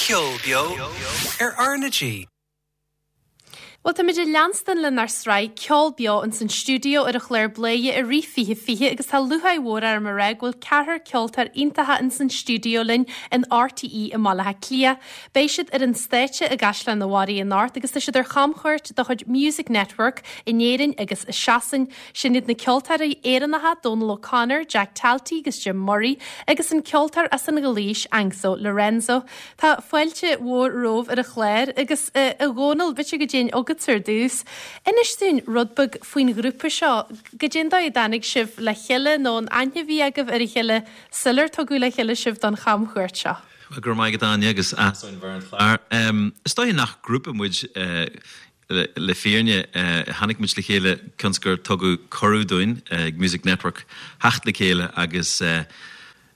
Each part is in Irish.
Ceol beo ar RnaG. Bhuel, táimid ag leanstan lenár sraith Ceol Beo ins an stiúideo ar an chlár Bladhaire i rith 2020 agus tá lúcháir mhór orm a rá go bhfuil ceathrar ceoltóir iontacha ins an stiúideo linn in RTÉ i mBaile Átha Cliath. Beidh siad ar an stáitse i gCaisleán an Bharraigh anocht agus tá siad ar chamchuairt de chuid Music Network in Éirinn agus i Sasain. Sin iad na ceoltóirí Éireannacha Dónal O'Connor, Jack Talty agus Jim Murray agus an ceoltóir as an Ghailís, Anxo Lorenzo. Tá fáilte mhór romhaibh ar an chlár agus, a Dhónaill, b'fhéidir go dtéinn chugatsa ar dtús. Inis dúinn rud beag faoin ghrúpa seo, goidé an dóigh a dtáinig sibh le chéile nó an aithne a bhí agaibh ar a chéile sular tugadh le chéile sibh don chamchuairt seo? Bhuel, go raibh maith agat, Áine, agus áthas orainn bheith ar an chlár. Is dóiche nach grúpa muid Le fírinne, tháinig muid le chéile cionn is gur tugadh cuireadh dúinn ag Music Network theacht le chéile agus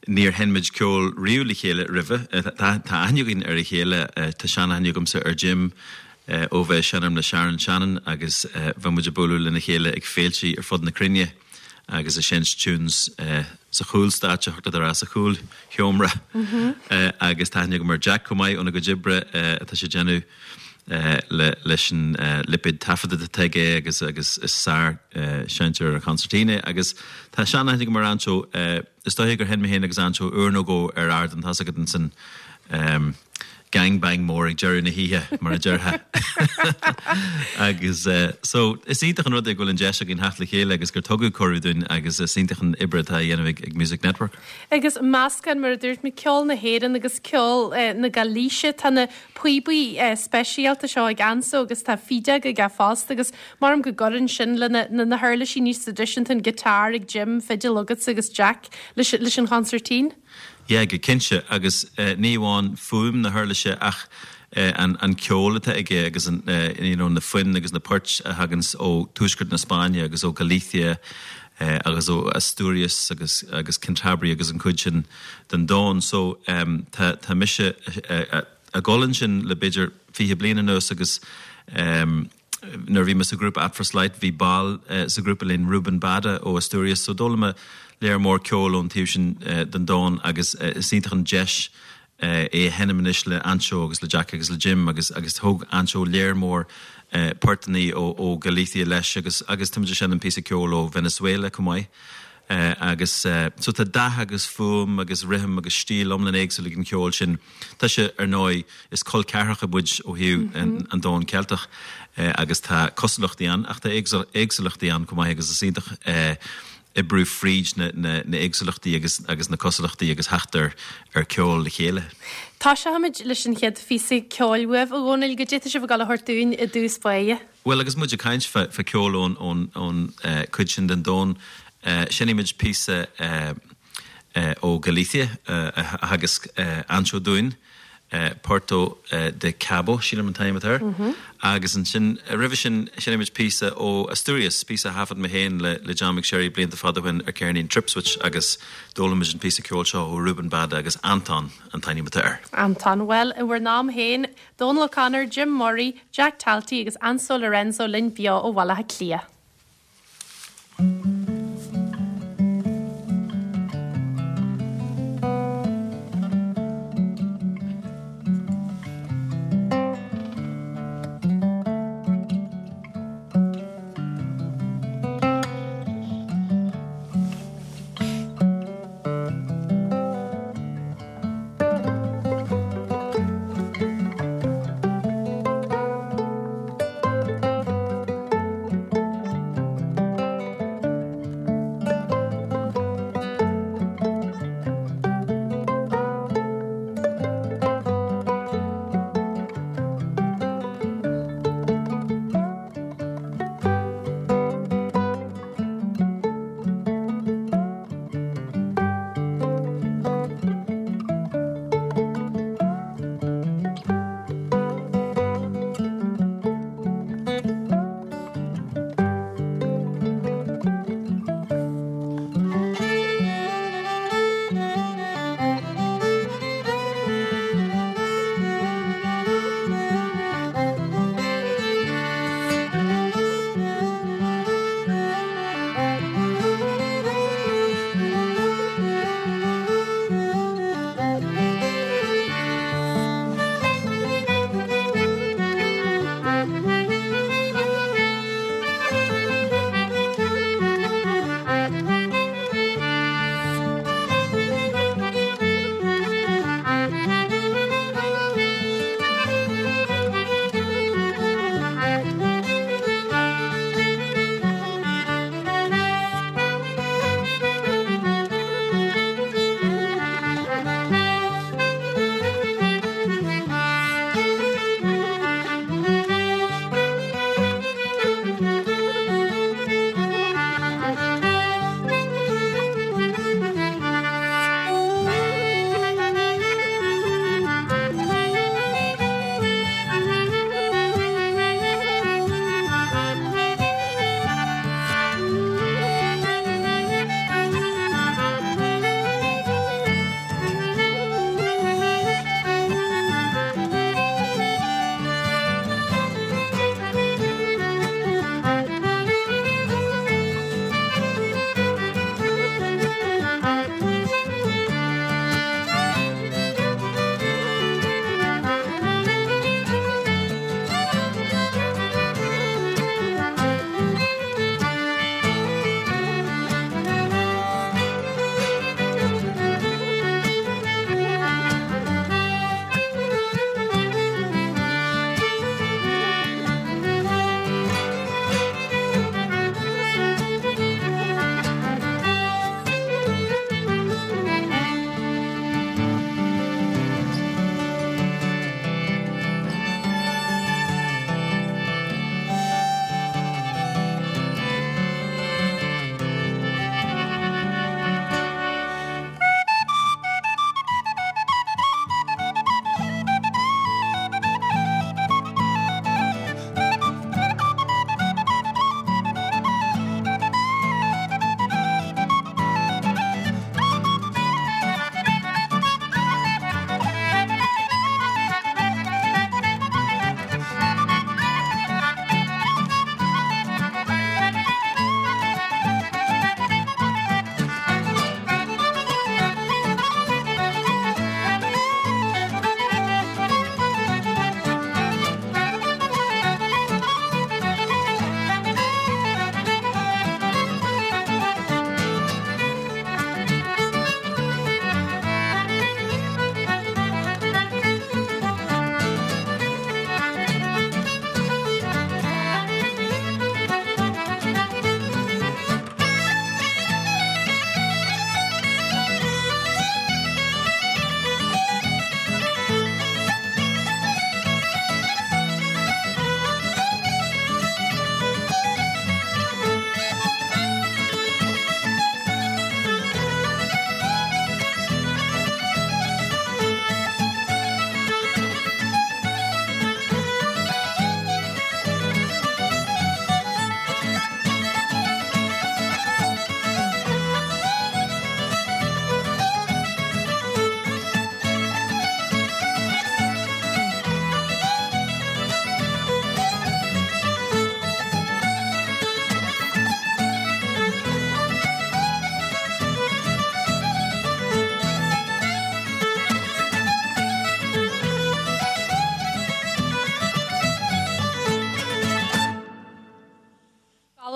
níor sheinn muid ceol riamh le chéile roimhe. Tá aithne againn ar a chéile, tá seanaithne agamsa ar Jim ó bheith ag seinm le Sharon Shannon agus bheith muid ag bualadh lena chéile ag féiltí ar fud na cruinne agus ag seinnt tunes sa chúlstáitse, thiocfadh leat a rá sa chúlsheomra agus tá aithne agam ar Jack chomh maith óna gcuid oibre atá sé ag déanamh. leis an lipéad taifeadta atá aige agus agus is sár-sheinnteoir ar concertina é agus tá seanaithne agam ar Anxo. Is dóiche gur sheinn mé féin agus Anxo uair nó dhó ar ardán, tá's agat ins an gang bang mór ag deireadh na hoíche mar a déarfá. Agus so is iontach an rud é go bhfuil an deis againn theacht le chéile agus gur tugadh cuireadh dúinn agus is iontach an obair atá á dhéanamh ag Music Network. Agus meascán, mar a dúirt mé, ceol na hÉireann agus ceol na Gailíse, tá na píobaí speisialta seo ag Anxo agus tá fídeog aige fosta agus maram go gcuireann sin le na na huirlisí níos traidisiúnta, an guitar ag Jim, fidil agatsa agus Jack leis leis an chonsairtín. Yeah, go cinnte agus ní amháin fuaim na huirlise ach an an ceol atá aige agus an you know na foinn agus na poirt a thaganns ó tuaisceart na Spáinne agus ó Galicia agus ó Asturias agus agus Cantabria agus an cuid sin den domhan. So tá tá mise ag dul ansin le b'fhéidir 20 bliain anuas agus nuair a bhí mé sa ghrúpa At First Light bhí ball sa ghrúpa linn, Ruben Bada ó Asturias, so d'fhoghlaim mé léar mór ceoil ón taobh sin den domhan agus is iontach an deis é a sheinm anois le Anxo agus le Jack agus le Jim agus agus thóg Anxo léar mór portannaí ó ó Galicia leis agus agus táimid ag seinm píosa ceoil ó Venezuela chomh maith. Agus so tá dath agus fuaim agus rithim agus stíl iomlán éagsúil ag an cheol sin. Tá sé, ar ndóigh, is col ceathracha muid ó thaobh an domhan Ceilteach agus tá cosúlachtaí ann ach tá éagsúlachtaí ann chomh maith agus is iontach oibriú fríd na héagsúlachtaí agus agus na cosúlachtaí agus theacht ar ar ceol le chéile. Tosóimid leis an chéad phíosa ceoil uaibh, a Dhónaill, goidé tá sibh ag dul a thabhairt dúinn i dtús báire. Bhuel, agus muid ag caint fá cheol ón chuid sin den domhan, seinnfimid píosa ó Galicia a theagasc Anxo dúinn, Puerto de Cabo, sílim an t-ainm atá air. Agus ansin, roimhe sin, seinnfimid píosa ó Asturias, píosa a thaifead mé féin le John McSherry blianta fada ó shin ar cheirnín Tripswitch agus d'fhoghlaim muid an píosa ceoil seo ó Ruben Bada agus Anton an t-ainm atá air. Anton, bhuel, i bhur n-am féin, Dónal O'Connor, Jim Murray, Jack Talty agus Anxo Lorenzo linn beo ó Bhaile Átha Cliath.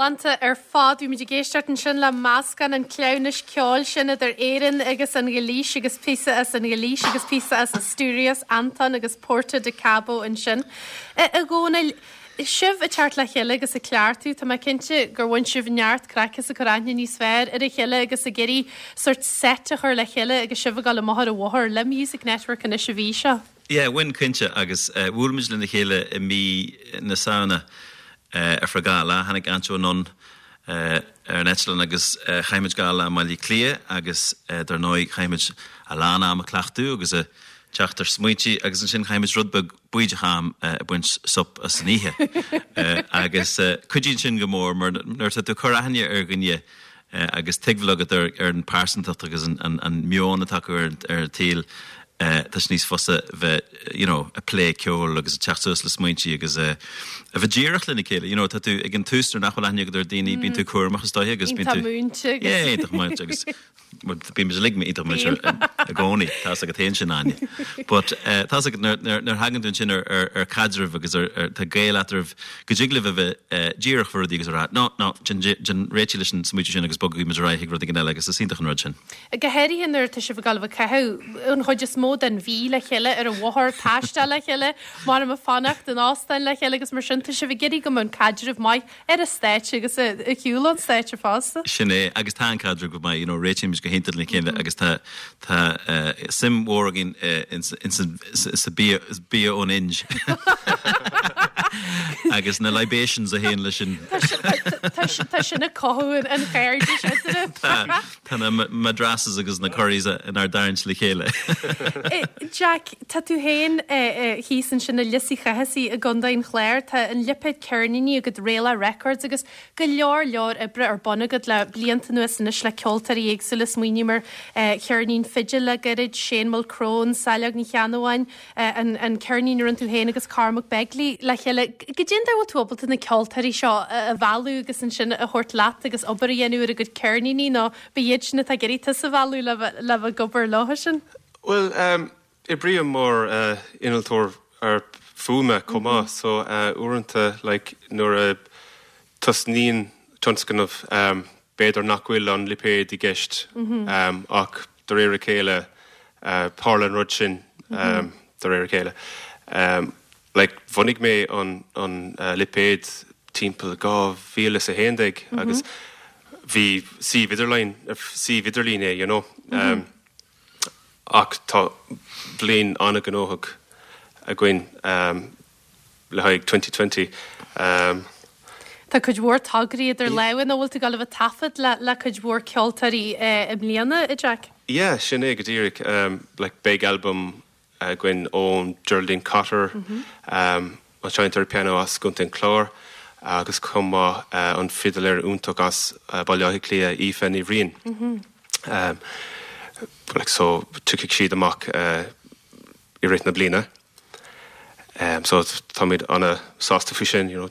Galánta ar fad. Bhí muid ag éisteacht ansin le meascán an cleamhnais ceoil sin idir Éirinn agus an Ghailís agus píosa as an Ghailís agus píosa as Asturias, Anton agus Porta de Cabo ansin. A Dhónaill, sibh ag teacht le chéile agus ag cleachtadh, tá mé cinnte gur bhain sibh neart craic as ag cur aithne níos fearr ar a chéile agus ag iarraidh sórt set a chur le chéile agus sibh ag dul amach ar an bhóthar le Music Network anois an mhí seo. Yeah, bhain cinnte agus bhuail muid lena chéile i mí na Samhna ar feadh dhá lá. Tháinig Anto anonn ar an eitleán agus chaith muid dhá lá i mBaile Átha Cliath agus dar ndóigh chaith muid a lán am ag cleachtadh agus ag teacht ar smaointe agus ansin chaith muid rud beag bídeach am ag baint sop as san oíche. Agus cuidíonn sin go mór mar nuair atá tú ag cur aithne ar dhuine agus tuigbheáil agat ar an pearsantacht agus an meon atá acu ar an tsaol, tá sé níos fusa bheith you know ag plé ceoil agus ag teacht suas le smaointe agus a bheith díreach lena chéile. You know tá tú ag an tús nuair nach bhfuil aithne agat ar daoine bíonn tú cúramach is dóiche agus bíonn tú Iontach múinte agus. Yeah, iontach múinte agus bíonn muid uilig iontach múinte i gcónaí, tá's agat féin sin Áine. But tá's agat nuair nuair thagann tú ansin ar ar ar caidreamh agus ar ar tá gaol eatarthu go dtig libh a bheith díreach faoi rudaí agus a rá no, no, déan réitigh leis an smaoitiú sin agus bogaigí muid ar aghaidh chuig rud éigin eile agus is iontach an rud sin. Go háirithe nuair atá sibh ag dul a bheith ag caitheamh an chuid is mó den mhí le chéile ar an bhóthar, taisteal le chéile, maram ag fanacht in óstáin le chéile agus mar sin, tá sibh ag iarraidh go mbeadh an caidreamh maith ar an stáitse agus ar shiúl ón stáitse fosta. Sin é, agus tá an caidreamh go maith, you know, réitímid go hiontach lena chéile agus tá, tá suim mhór againn ins an, sa bia, bia ón Ind agus na libations a théann leis sin. Tá sin ag cothú an chairdis eadraibh. Tá, tá na madrasas agus na curries inár dtarraingt le chéile. Jack, tá tú féin thíos ansin i Lios Uí Chathasaigh i gContae an Chláir. Tá an lipéad ceirníní agat Réalach Records agus go leor leor oibre ar bun agat le blianta anuas anois le ceoltóirí éagsúla, smaoiním ar cheirnín fidil le gairid, Shane Mulchrone, Saileog Ní Cheannabháin, an ceirnín a rinne tú féin agus Cormac Begley le chéile. Goidé an dóigh a bhfuil tú ábalta na ceoltóirí seo a mhealladh agus ansin a thabhairt leat agus obair a dhéanamh ar a gcuid ceirníní nó ab iad sin atá ag iarraidh tusa a mhealladh le bheith ag obair leo sin? Bhuel, Oibrím mar innealtóir fuaime chomh maith so uaireanta like nuair a tosnaíonn tionscnamh b'fhéidir nach bhfuil an lipéad i gceist ach de réir a chéile tharla an rud sin de réir a chéile. Like bhunaigh mé an an lipéad timpeall 2011 agus bhí suíomh idirlín suíomh idirlín é you know. Ach tá bliain an-ghnóthach againn le haghaidh 2020. Tá cuid mhór tograí idir lámha nó bhfuil tú ag dul a bheith ag taifead le cuid mhór ceoltóirí i mbliana, a Jack? Yeah, sin é go díreach. Like beidh albam againn ón Geraldine Cotter, an seinnteoir pianó as gContae an Chláir, agus chomh maith an fidiléir iontach as Baile Átha Cliath, Aoife Ní Bhriain. Like so tiocfaidh siad amach i rith na bliana. So táimid ana-sásta faoi sin, you know.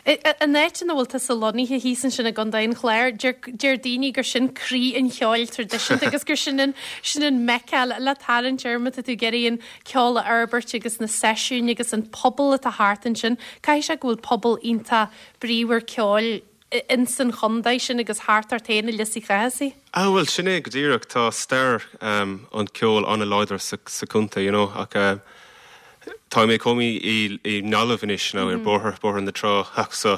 An áit ina bhfuil tusa lonnaithe thíos ansin i gContae an Chláir, deir daoine gur sin croí an cheoil traidisiúnta agus gur sin an, sin an Mecca le tarraingt air má tá tú ag iarraidh an ceol a fhorbairt agus na seisiúin agus an pobal atá thart ansin. Caithfidh sé go bhfuil pobal iontach bríomhar ceoil ins an chontae sin agus thart ort féin i Lios Uí Chathasaigh. Ah bhuel sin é go díreach, tá stair an cheoil an-láidir sa chontae you know ach tá mé i mo chónaí i nGaillimh anois now ar bóthar, Bóthar na Trá ach so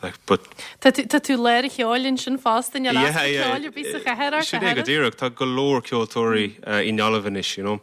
like but. Tá tú, tá tú lár an cheoil ansin fosta, níl easpa ceoil ar bith sa chathair ort, Sin é go díreach, tá go leor ceoltóirí i nGaillimh anois you know.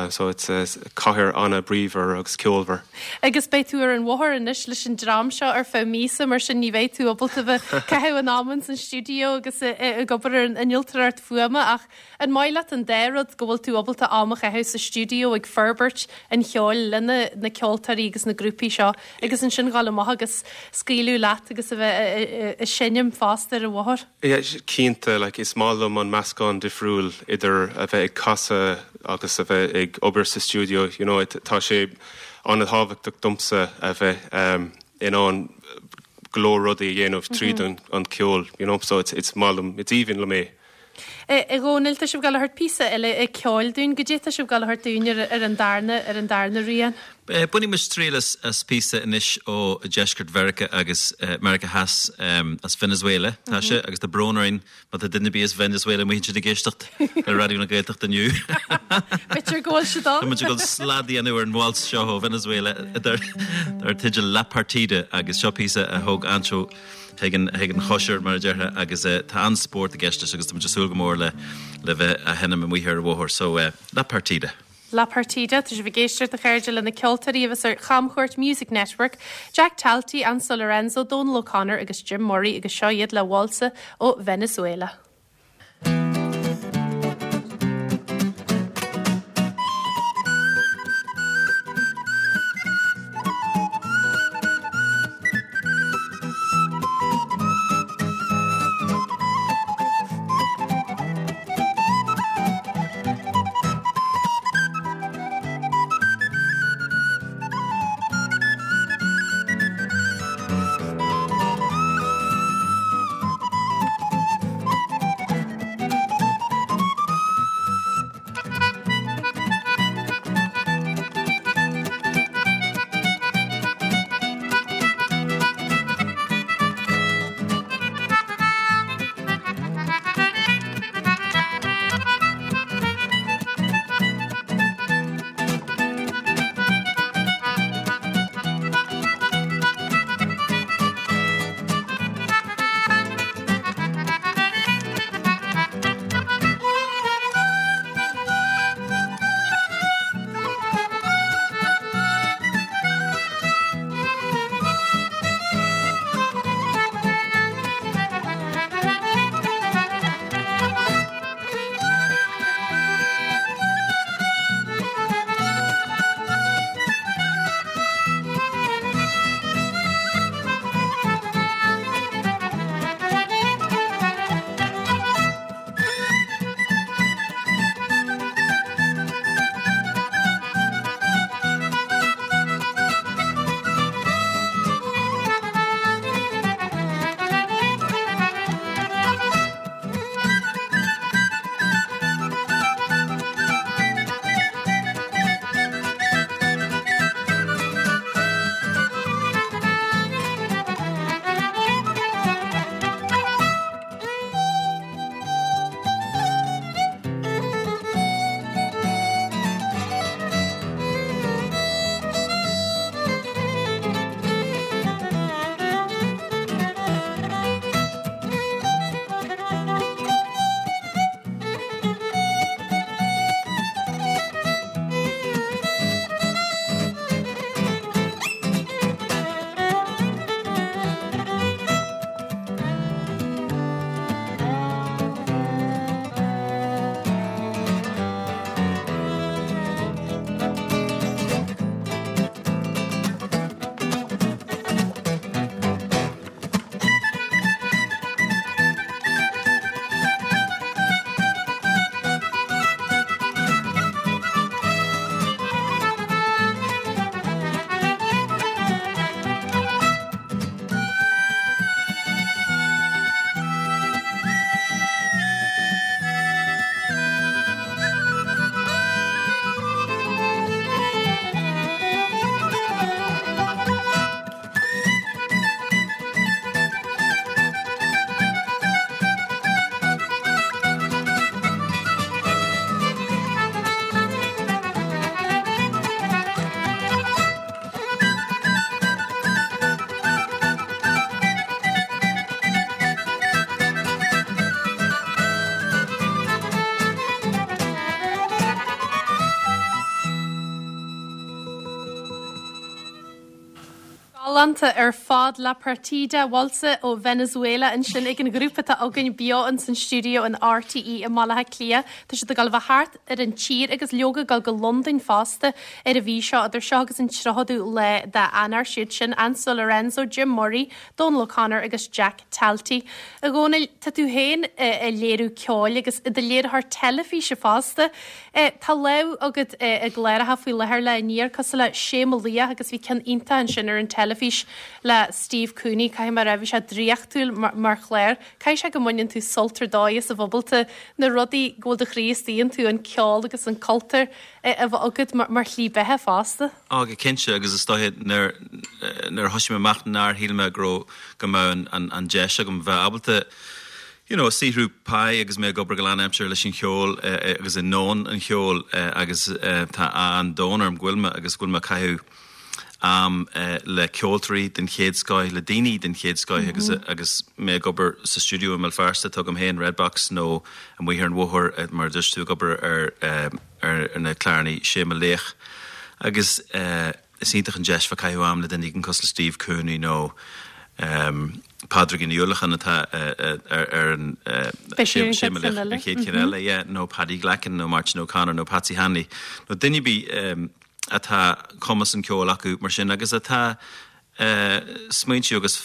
So it's cathair an-bhríomhar agus ceolmhar. Agus beidh tú ar an bhóthar anois leis an dream seo ar feadh míosa, mar sin ní bheidh tú ábalta bheith ag caitheamh an ama ins an stiúideo agus ag obair ar an innealtóireacht fuaime ach an maith leat an dá rud, go bhfuil tú ábalta am a chaitheamh sa stiúideo ag forbairt an cheoil le na ceoltóirí agus na grúpaí seo agus ansin dhul amach agus scaoileadh leat agus a bheith ag seinm fosta ar an bhóthar? Yeah, cinnte, like is maith liom an meascán difriúil idir a bheith ag casadh agus a bheith ag obair sa stiúideo, you know, tá sé an-tábhachtach domsa a bheith in ann go leor rudaí a dhéanamh tríd an ceol, you know, so it's maith liom, it's aoibhinn liom é. A Dhónaill, tá sibh ag dul a thabhairt píosa eile ceoil dúinn. Goidé tá sibh ag dul a thabhairt dúinn ar an darna, ar an darna rian? Bainfidh muid triail as píosa anois ó dheisceart Mheiriceá agus Meiriceá Theas, as Venezuela tá sé, agus tá brón orainn má tá duine ar bith as Venezuela amuigh ansin ag éisteacht le Raidió na Gaeltachta inniu. B'fhéidir go bhfuil siad ann. Tá muid ag dul slad a dhéanamh ar an waltz seo ó Venezuela dar teideal La Partida agus seo píosa a thóg Anso chuig an chóisir, mar a déarfá, agus tá an-spórt i gceist leis agus tá muid ag súil go mór le le bheith á sheinm amuigh ar an bhóthar. So, La Partida. La Partida, tá sibh ag éisteacht, a chairde, le na ceoltóirí a bheas ar chamchuairt Music Network, Jack Talty, Anso Lorenzo, Dónal O'Connor agus Jim Murray agus seo iad le válsa ó Venezuela. Galánta ar fad La Partida, Waltz ó Venezuela ansin ag an ghrúpa atá againn beo ins an stiúideo in RTÉ i mBaile Átha Cliath. Tá siad ag dul a bheith thart ar an tír agus leoga ag dul go Londain fosta ar an mhí seo, idir seo agus an 30ú lá d'Eanáir. Siad sin Anso Lorenzo, Jim Murray, Dónal O'Connor agus Jack Talty. A Dhónaill, tá tú féin ag léiriú ceoil agus i do léiritheoir teilifíse fosta. Tá lámh agat i gcláracha faoi láthair le Aniar cosúil le Sé Mo Laoch agus bhí ceann iontach ansin ar an teilifís. teilifís le Steve Cooney, caithfidh mé a rá, bhí sé draíochtúil mar chlár. Caithfidh sé go mbaineann tú sult ar dóigh as a bheith ábalta na rudaí go bhfuil do chroí istigh iontu, an ceol agus an cultúr, a bheith agat mar shlí beatha fosta. Á, go cinnte, agus is dóiche nuair a thosaigh mé amach nár shíl mé go raibh, go mbeadh an deis agam bheith ábalta you know saothrú páí agus mé ag obair go lánaimseartha leis an cheol agus i ndomhan an cheoil agus tá ádh an domhain orm go bhfuil mé agus go bhfuil mé ag caitheamh am le ceoltóirí den chéad scoith, le daoine den chéad scoith agus agus mé ag obair sa stiúideo i mBéal Feirste atá agam féin, Red Box, nó amuigh ar an bhóthar mar a dúirt tú ag obair ar ar na cláranna Sé Mo Laoch agus is iontach an deis bheith ag caitheamh am le duine éigin cosúil le Steve Cooney nó Pádraigín Ní Uallacháin atá ar an Sé Mo Laoch an chéad cheann eile, yeah, nó Paddy Glackin nó Máirtín O'Connor nó Patsy Hanley nó duine ar bith atá cumas an cheoil acu mar sin agus atá smaointiú agus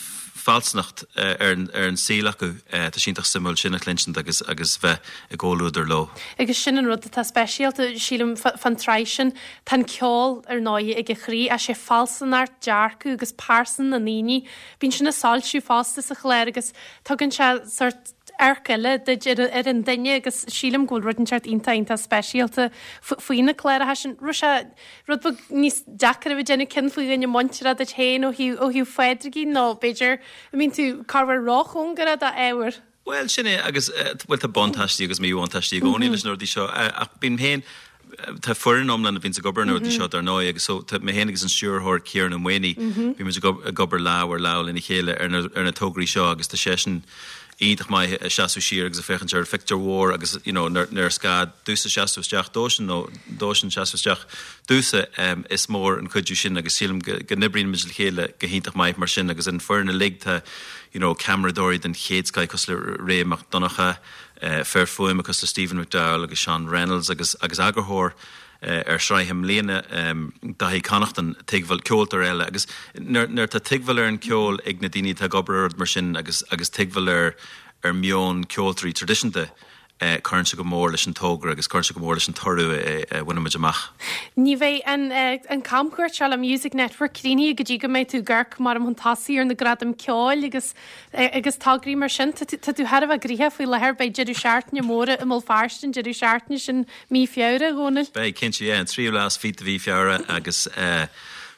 fealsúnacht ar an saol acu. Tá sé iontach suimiúil sin a chluinsint agus agus bheith i gcomhluadar leo. Agus sin an rud atá speisialta, sílim, fán tsraith sin. Tá an ceol, ar ndóigh, ag a chroí, ach sé fealsúnacht, dearcadh agus pearsan na ndaoine. Bíonn sin ag soilsiú fosta sa chlár agus tugann sé sórt amharc eile duit ar an duine agus sílim go bhfuil rud inteacht iontach iontach speisialta faoi na cláracha sin. Raibh sé rud beag níos deacair a bheith ag déanamh cion faoi dhuine muinteartha duit féin ó thaobh ó thaobh Phádraigín nó b'fhéidir an mbíonn tú corruair róchóngarach dá ábhar? Bhuel, sin é agus bhuel tá buntáistí agus míbhuntáistí i gcónaí leis na rudaí seo ach bím féin, tá foireann iomlán a bhíonns ag obair ar na rudaí seo dar ndóigh agus so tá mé féin agus an stiúrthóir Ciarán Ó Maonaigh, bíonn muid ag obair lámh ar lámh lena chéile ar na ar na tograí seo agus tá seisean iontach maith ag seasamh siar agus ag féachaint ar an phictiúr mhór agus you know nuair nuair is gá domhsa seasamh isteach dósan nó dósan seasamh isteach domhsa is mór an cuidiú sin agus sílim go go n-oibríonn muid le chéile go hiontach maith mar sin agus an foireann uilig tá you know ceamaradóirí den chéad scoith cosúil le Ray Mac Donncha fear fuaime cosúil le Stephen McDowell agus Seán Reynolds agus agus eagarthóir ar shraith i mbliana, Dáithí Connaughton, tuigbheáil, ceoltóir eile agus nuair nuair atá tuigbheáil ar an cheol ag na daoine atá ag obair ar rud mar sin agus agus tuigbheáil ar ar meon ceoltóirí traidisiúnta, cuireann sé go mór leis an togra agus cuireann sé go mór leis an toradh a bhaineann muid amach. Ní bheidh an an camchuairt seo le Music Network críochnaithe go dtí go mbeidh tú ag amharc mar chun tosaigh ar na gradaim ceoil agus Agus tograí mar sin, tá tú thar a bheith gnoitheach faoi láthair, beidh deireadh seachtaine mór i mBéal Feirste an deireadh seachtaine sin mí Feabhra, a Dhónaill. Beidh, cinnte, yeah, an tríú lá is fiche de mhí Feabhra agus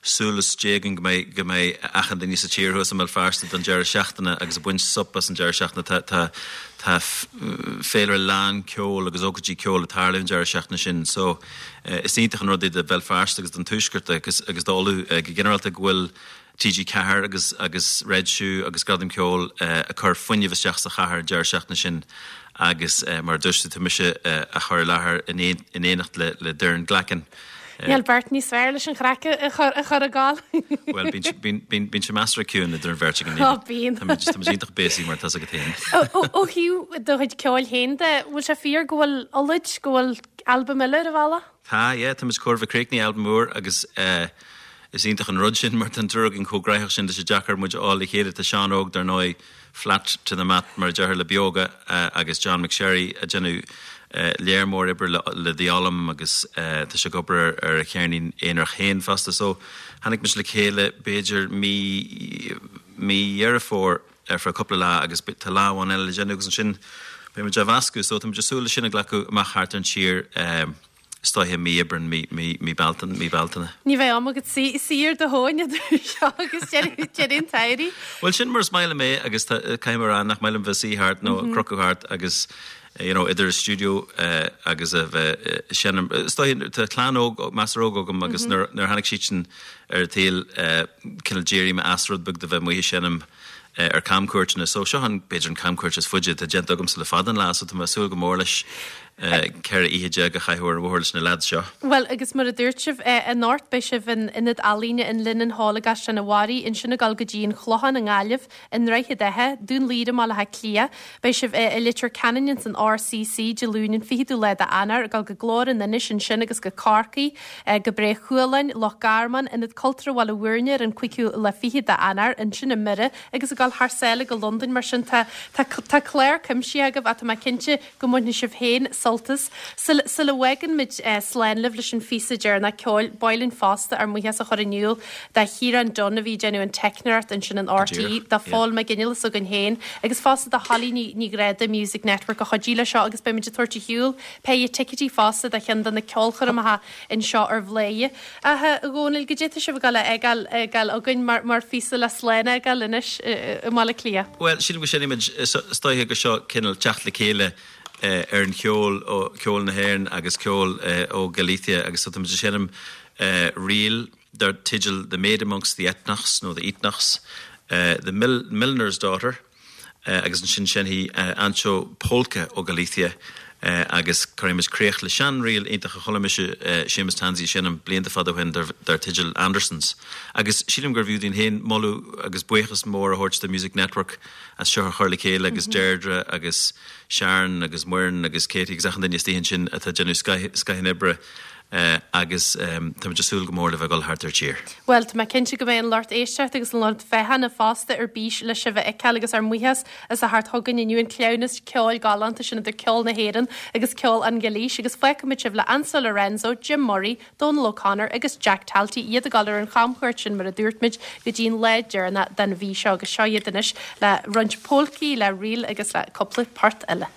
súil is Dé againn go mbeidh, go mbeidh achan duine sa tír thuas i mBéal Feirste don deireadh seachtaine agus ag baint súp as an deireadh seachtaine. Tá, tá, tá féilire lán ceoil agus ócáidí ceoil ag tarlú an deireadh seachtaine sin so is iontach an rud é do Bhéal Feirste agus don Tuaisceart agus, agus d'Uladh go ginearálta go bhfuil TG4 agus agus Red Shoe agus Gradam Ceoil ag cur fuinneamh isteach sa chathair an deireadh seachtaine sin agus mar a dúirt tú tá mise á chur i láthair in éineacht le le Doireann Glackin. Níl beirt níos fearr leis an chraic a chur a chur ag gabháil. Bhuel bíonn bíonn bíonn sé measartha ciúin idir an bheirt againn. Ó bíonn. Tá muid tá muid iontach busy mar tá's agat féin. Ó thaobh do chuid ceoil féin de, bhfuil sé fíor go bhfuil Ulaid, go bhfuil albam eile ar an bhealach? Tá, yeah, tá muid chóir a bheith críochnaithe albam úr agus eh is iontach an rud sin mar tá an triúr againn chomh gnaitheach sin tá sé deacair muid a fháil le chéile. Tá Seán Óg dar ndóigh flat to the mat mar a deirtear le Beoga eh agus John McSherry ag déanamh eh léar mór oibre le le The Ollam agus eh tá sé ag obair ar ar a cheirnín aonarach féin fosta so tháinig muid le chéile b'fhéidir mí mí Dheireadh Fómhair ar feadh cúpla lá agus tá lá amháin eile le déanamh agus ansin beidh muid á mheascadh so tá muid ag súil le sin a ghlacadh amach thart ar an tír is dóiche mí Aibreán, mí, mí, mí Bealtaine, mí Bealtaine. Ní bheidh am agat suí, suí ar do thóin idir seo agus deireadh, deireadh an tsamhraidh. Bhuel sin mar is maith liom é agus tá, caithfidh mé a rá nach maith liom bheith suí thart nó ag crochadh thart agus you know idir an stiúideo agus a bheith ag seinm. Is dóiche tá clann óg, measartha óg agam agus nuair, nuair a tháinig siadsan ar an tsaol cineál d'éirigh mé as rud beag de bheith amuigh ag seinm ar camchuairteanna. So seo an, b'fhéidir an camchuairt is faide atá déanta agamsa le fada an lá so tá mé ag súil go mór leis 14 oíche a chaitheamh ar an bhóthar leis na leaids seo. Bhuel agus mar a dúirt sibh, anocht beidh sibh in Ionad Ealaíne an Linen Hall i gCaisleán an Bharraigh, ansin ag dul go dtí an Chlochán i nGaillimh, i nDroichead Átha, Dún Laoghaire i mBaile Átha Cliath. Beidh sibh i Leitir Ceanainn ins an RCC Dé Luain an 20ú lá d'Eanáir, ag dul go Glór an Inis ansin agus go Corcaigh, go Bré Chualáin, Loch Garman, Ionad Cultúrtha Bhaile Bhúirne ar an 25ú lá d'Eanáir, ansin i mBiorra agus ag dul thar sáile go Londain. Mar sin tá tá tá clár cuimsithe agaibh ach tá mé cinnte go mbainfidh sibh féin sult. an-sultas. Sula bhfágann muid slán libh leis an phíosa deireanach ceoil, ba mhaith linn fosta ár mbuíochas a chur in iúl do Chiarán Dunne a bhí ag déanamh an teicneoireacht ansin in RTÉ, do Phól Mac Fhionnghaile s'againn féin agus fosta do Holly Ní Ghráda, Music Network a chuidigh le seo agus beidh muid ag tabhairt ar shiúl péire ticéidí fosta do cheann de na ceolchoirmeacha anseo ar Bhladhaire. Ach a Dhónaill, goidé tá sibh ag dul a fhágáil fhágáil againn mar mar phíosa le slán a fhágáil anois i mBaile Átha Cliath? Bhuel, sílim go seinnfimid, is dóiche gur seo cineál teacht le chéile ar an cheol ó cheol na hÉireann agus ceol ó Galicia agus so táimid ag seinm ríl dar teideal The Maid Amongst the Etnachs nó The Eatnachs, The Milliner's Daughter agus ansin seinnfidh Anxo polca ó Galicia agus cuirfimid críoch le seanríl iontach a chuala mise Séamus Tansey ag seinm blianta fada ó shin dar teideal Andersons. Agus sílim gurbh fhiú dúinn féin moladh agus buíochas mór a thabhairt do Music Network as seo a chur le chéile agus Deirdre agus Sharon agus Muireann agus Katie agus achan duine istigh ansin atá ag déanamh scoith an oibre agus táimid ag súil go mór le bheith ag dul thart ar tír. Bhuel, tá mé cinnte go mbeidh an lucht éisteachta agus an lucht féachana fosta ar bís le sibh a fheiceáil agus ár mbuíochas as a theacht chugainn inniu, an cleamhnas ceoil galánta sin idir ceol na hÉireann agus ceol an Ghailís agus fágfaimid sibh le Anxo Lorenzo, Jim Murray, Dónal O'Connor agus Jack Talty, iad ag dul ar an chamchuairt sin mar a dúirt muid go dtí an lá deireanach den mhí seo agus seo iad anois le roinnt pólcaí, le ríl agus le cúpla port eile.